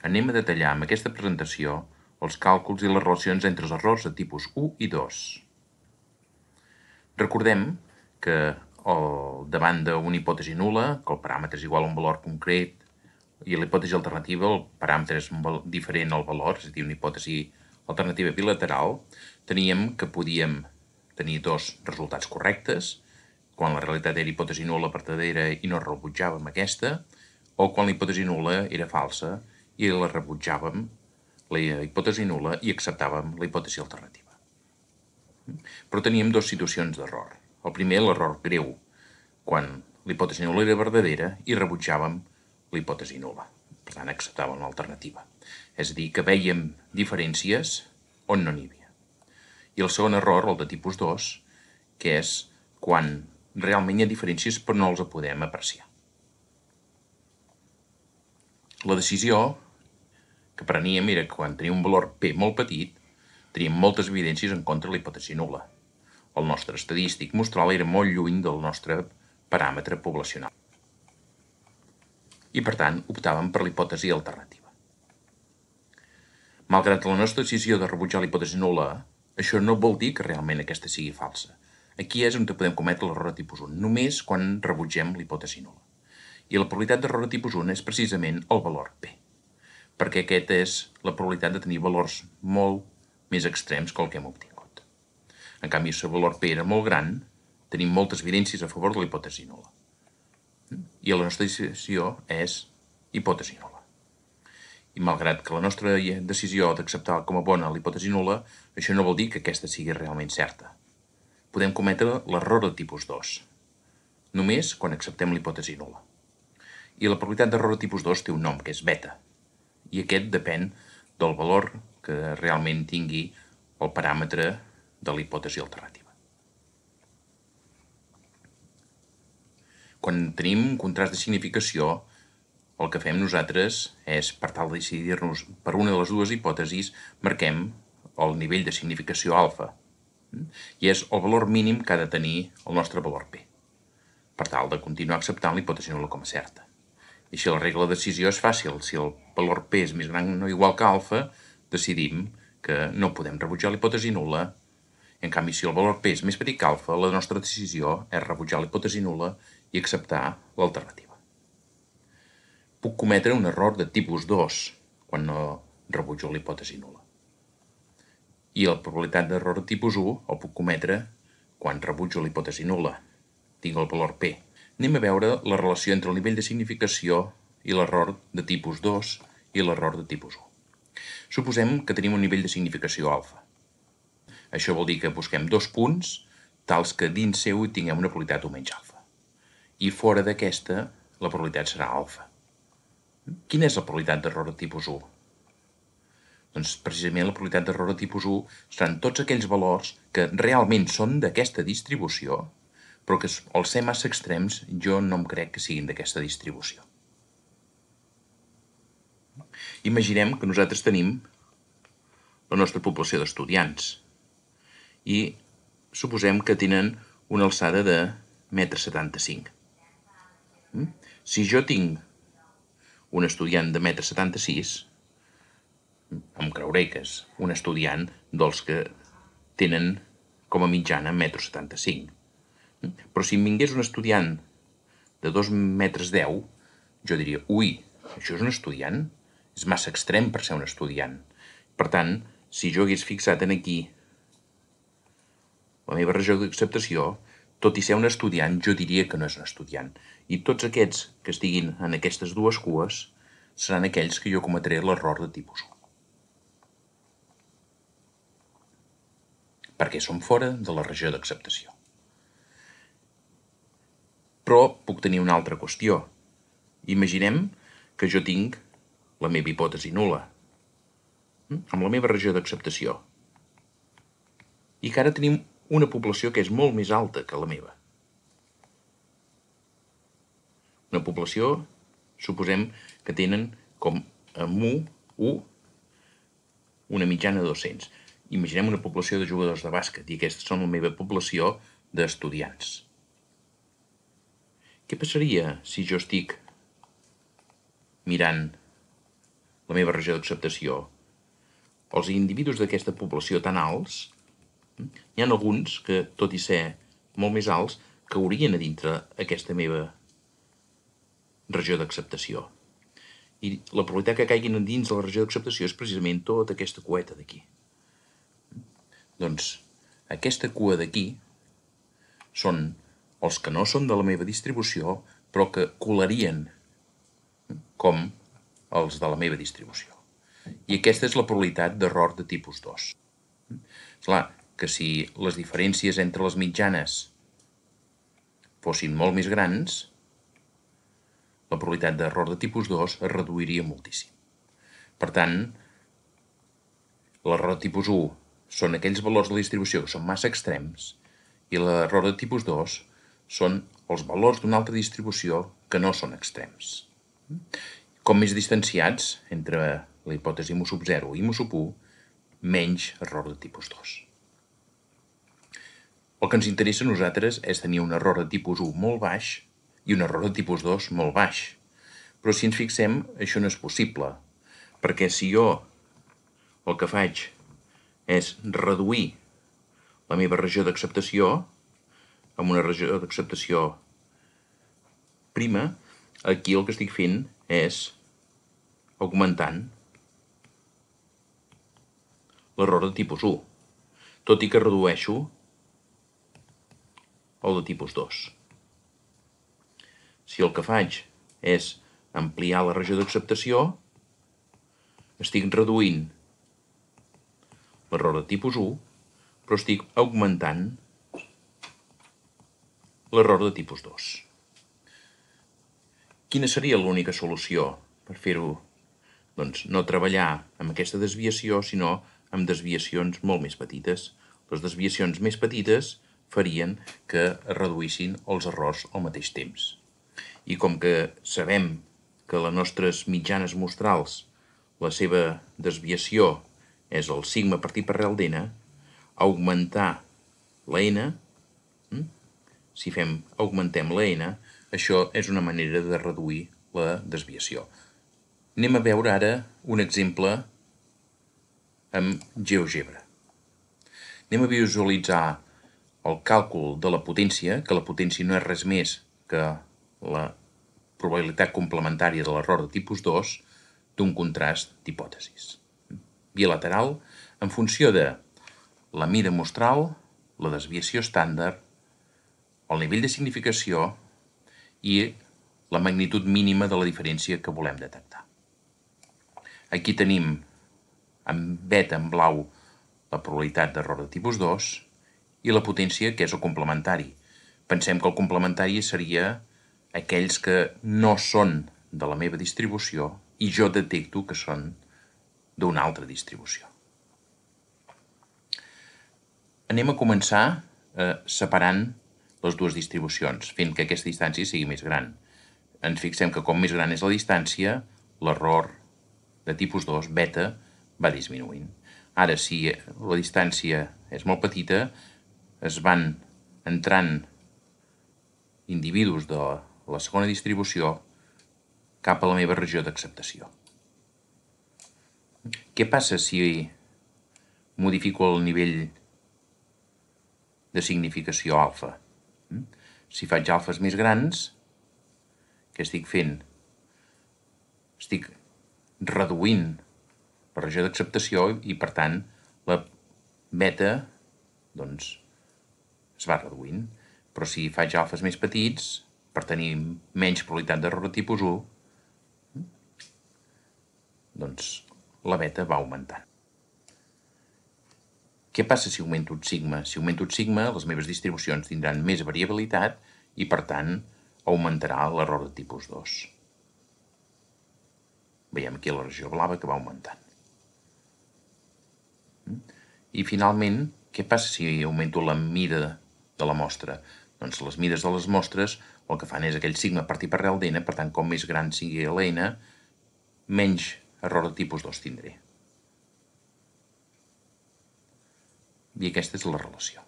Anem a detallar amb aquesta presentació els càlculs i les relacions entre els errors de tipus 1 i 2. Recordem que davant d'una hipòtesi nul·la, que el paràmetre és igual a un valor concret, i la hipòtesi alternativa, el paràmetre és diferent al valor, és a dir, una hipòtesi alternativa bilateral, teníem que podíem tenir dos resultats correctes, quan la realitat era hipòtesi nul·la vertadera i no rebutjàvem aquesta, o quan la hipòtesi nul·la era falsa i la rebutjàvem, la hipòtesi nul·la, i acceptàvem la hipòtesi alternativa. Però teníem dues situacions d'error. El primer, l'error greu, quan la hipòtesi nul·la era verdadera i rebutjàvem la hipòtesi nul·la. Per tant, acceptàvem l'alternativa. És a dir, que vèiem diferències on no n'hi havia. I el segon error, el de tipus 2, que és quan realment hi ha diferències però no els podem apreciar. La decisió que preníem era que quan teníem un valor P molt petit, teníem moltes evidències en contra de la hipòtesi nul·la. El nostre estadístic mostral era molt lluny del nostre paràmetre poblacional. I, per tant, optàvem per la hipòtesi alternativa. Malgrat la nostra decisió de rebutjar la hipòtesi nul·la, això no vol dir que realment aquesta sigui falsa. Aquí és on podem cometre l'error de tipus 1, només quan rebutgem la hipòtesi nul·la. I la probabilitat d'error de tipus 1 és precisament el valor P, perquè aquesta és la probabilitat de tenir valors molt més extrems que el que hem obtingut. En canvi, si el valor P era molt gran, tenim moltes evidències a favor de la hipòtesi nul·la. I la nostra decisió és hipòtesi nul·la. I malgrat que la nostra decisió d'acceptar com a bona la hipòtesi nul·la, això no vol dir que aquesta sigui realment certa. Podem cometre l'error de tipus 2, només quan acceptem la hipòtesi nul·la. I la probabilitat d'error de tipus 2 té un nom, que és beta, i aquest depèn del valor que realment tingui el paràmetre de la hipòtesi alternativa. Quan tenim un contrast de significació, el que fem nosaltres és, per tal de decidir-nos per una de les dues hipòtesis, marquem el nivell de significació alfa, i és el valor mínim que ha de tenir el nostre valor P, per tal de continuar acceptant la hipòtesi nul·la com a certa. I així la regla de decisió és fàcil. Si el valor P és més gran o igual que alfa, decidim que no podem rebutjar la hipòtesi nul·la. En canvi, si el valor P és més petit que alfa, la nostra decisió és rebutjar la hipòtesi nul·la i acceptar l'alternativa. Puc cometre un error de tipus 2 quan no rebutjo la hipòtesi nul·la. I la probabilitat d'error de tipus 1 el puc cometre quan rebutjo la hipòtesi nul·la. Tinc el valor P. Anem a veure la relació entre el nivell de significació i l'error de tipus 2 i l'error de tipus 1. Suposem que tenim un nivell de significació alfa. Això vol dir que busquem dos punts tals que dins seu tinguem una probabilitat o menys alfa. I fora d'aquesta, la probabilitat serà alfa. Quina és la probabilitat d'error de tipus 1? Doncs precisament la probabilitat d'error de tipus 1 seran tots aquells valors que realment són d'aquesta distribució, però que al ser massa extrems jo no em crec que siguin d'aquesta distribució. Imaginem que nosaltres tenim la nostra població d'estudiants i suposem que tenen una alçada de 1,75 m. Si jo tinc un estudiant de 1,76 m, em creuré que és un estudiant dels que tenen com a mitjana 1,75 m. Però si em vingués un estudiant de 2,10 m, jo diria, ui, això és un estudiant? És massa extrem per ser un estudiant. Per tant, si jo hagués fixat aquí la meva regió d'acceptació, tot i ser un estudiant, jo diria que no és un estudiant. I tots aquests que estiguin en aquestes dues cues seran aquells que jo cometré l'error de tipus 1. Perquè són fora de la regió d'acceptació. Però puc tenir una altra qüestió. Imaginem que jo tinc la meva hipòtesi nul·la, amb la meva regió d'acceptació, i que ara tenim una població que és molt més alta que la meva. Una població, suposem que tenen com a mu1 una mitjana de 200. Imaginem una població de jugadors de bàsquet i aquestes són la meva població d'estudiants. Què passaria si jo estic mirant la meva regió d'acceptació, els individus d'aquesta població tan alts, n'hi ha alguns que, tot i ser molt més alts, caurien a dintre aquesta meva regió d'acceptació. I la probabilitat que caiguin dins de la regió d'acceptació és precisament tota aquesta cueta d'aquí. Doncs aquesta cua d'aquí són els que no són de la meva distribució, però que colarien com els de la meva distribució. I aquesta és la probabilitat d'error de tipus 2. És clar que si les diferències entre les mitjanes fossin molt més grans, la probabilitat d'error de tipus 2 es reduiria moltíssim. Per tant, l'error de tipus 1 són aquells valors de la distribució que són massa extrems i l'error de tipus 2 són els valors d'una altra distribució que no són extrems. Com més distanciats entre la hipòtesi mu sub 0 i mu sub 1, menys error de tipus 2. El que ens interessa a nosaltres és tenir un error de tipus 1 molt baix i un error de tipus 2 molt baix. Però si ens fixem, això no és possible, perquè si jo el que faig és reduir la meva regió d'acceptació amb una regió d'acceptació prima, aquí el que estic fent és augmentant l'error de tipus 1, tot i que redueixo el de tipus 2. Si el que faig és ampliar la regió d'acceptació, estic reduint l'error de tipus 1, però estic augmentant l'error de tipus 2. Quina seria l'única solució per fer-ho? Doncs no treballar amb aquesta desviació, sinó amb desviacions molt més petites. Les desviacions més petites farien que es reduïssin els errors al mateix temps. I com que sabem que les nostres mitjanes mostrals, la seva desviació és el sigma partit per arrel d'n, augmentar la n, si augmentem la n, això és una manera de reduir la desviació. Anem a veure ara un exemple amb GeoGebra. Anem a visualitzar el càlcul de la potència, que la potència no és res més que la probabilitat complementària de l'error de tipus 2 d'un contrast d'hipòtesis bilateral en funció de la mida mostral, la desviació estàndard, el nivell de significació i la magnitud mínima de la diferència que volem detectar. Aquí tenim en beta en blau la probabilitat d'error de tipus 2 i la potència, que és el complementari. Pensem que el complementari seria aquells que no són de la meva distribució i jo detecto que són d'una altra distribució. Anem a començar separant les dues distribucions, fent que aquesta distància sigui més gran. Ens fixem que com més gran és la distància, l'error de tipus 2, beta, va disminuint. Ara, si la distància és molt petita, es van entrant individus de la segona distribució cap a la meva regió d'acceptació. Què passa si modifico el nivell de significació alfa? Si faig alfes més grans, què estic fent? Estic reduint la regió d'acceptació i, per tant, la beta es va reduint. Però si faig alfes més petits, per tenir menys probabilitat d'error de tipus 1, doncs la beta va augmentant. Què passa si augmento el sigma? Si augmento el sigma, les meves distribucions tindran més variabilitat i, per tant, augmentarà l'error de tipus 2. Veiem aquí la regió blava que va augmentant. I, finalment, què passa si augmento la mida de la mostra? Doncs les mides de les mostres el que fan és aquell sigma partit per arrel d'n, per tant, com més gran sigui l'n, menys error de tipus 2 tindré. I aquesta és la relació.